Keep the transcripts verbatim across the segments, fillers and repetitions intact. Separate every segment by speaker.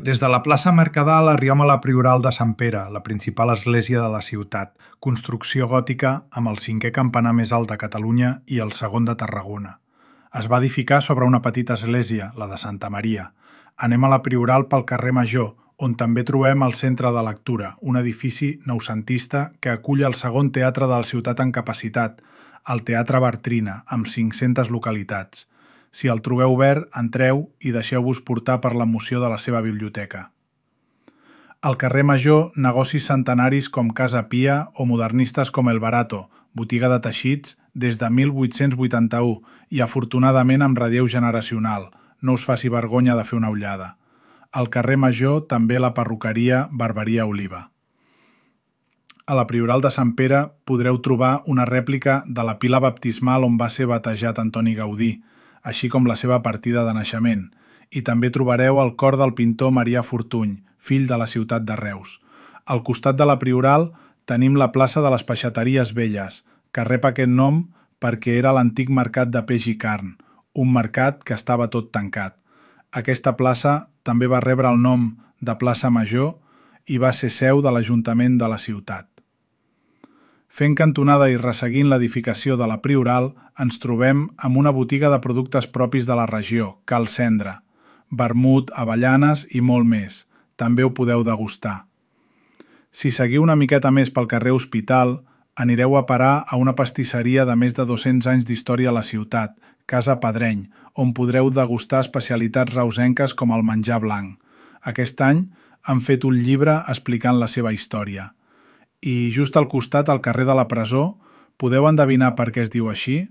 Speaker 1: Des de la plaça Mercadal arribem a la Prioral de Sant Pere, la principal església de la ciutat, construcció gòtica amb el cinquè campanar més alt de Catalunya i el segon de Tarragona. Es va edificar sobre una petita església, la de Santa Maria. Anem a la Prioral pel carrer Major, on també trobem el Centre de Lectura, un edifici noucentista que acull el segon teatre de la ciutat en capacitat, el Teatre Bartrina, amb cinc-centes localitats. Si el trobeu obert, entreu i deixeu-vos portar per l'emoció de la seva biblioteca. Al carrer Major, negocis centenaris com Casa Pia o modernistes com El Barato, botiga de teixits des de mil vuit-cents vuitanta-u i afortunadament amb relleu generacional. No us faci vergonya de fer una ullada. Al carrer Major també la perruqueria Barberia Oliva. A la Prioral de Sant Pere podreu trobar una rèplica de la pila baptismal on va ser batejat Antoni Gaudí, així com la seva partida de naixement, i també trobareu el cor del pintor Marià Fortuny, fill de la ciutat de Reus. Al costat de la Prioral tenim la plaça de les Peixateries Velles, que rep aquest nom perquè era l'antic mercat de peix i carn, un mercat que estava tot tancat. Aquesta plaça també va rebre el nom de Plaça Major i va ser seu de l'Ajuntament de la ciutat. Fent cantonada i resseguint l'edificació de la Prioral, ens trobem amb una botiga de productes propis de la regió, Cal Cendra, vermut, avellanes i molt més. També ho podeu degustar. Si seguiu una miqueta més pel carrer Hospital, anireu a parar a una pastisseria de més de dos-cents anys d'història a la ciutat, Casa Pedreny, on podreu degustar especialitats reusenques com el menjar blanc. Aquest any han fet un llibre explicant la seva història. I just al costat, al carrer de la Presó, podeu endevinar per què es diu així?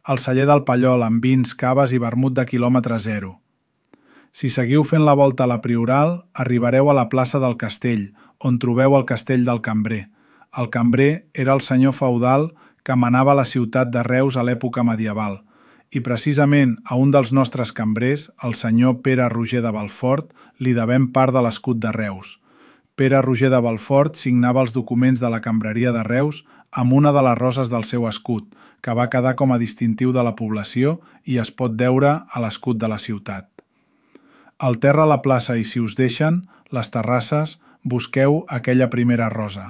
Speaker 1: El celler del Pallol amb vins, caves i vermut de quilòmetre zero. Si seguiu fent la volta a la Prioral, arribareu a la plaça del Castell, on trobeu el castell del Cambrer. El Cambrer era el senyor feudal que manava la ciutat de Reus a l'època medieval, i precisament a un dels nostres cambrers, el senyor Pere Roger de Belfort, li devem part de l'escut de Reus. Pere Roger de Belfort signava els documents de la cambreria de Reus amb una de les roses del seu escut, que va quedar com a distintiu de la població i es pot veure a l'escut de la ciutat. Al terra a la plaça i si us deixen, les terrasses, busqueu aquella primera rosa.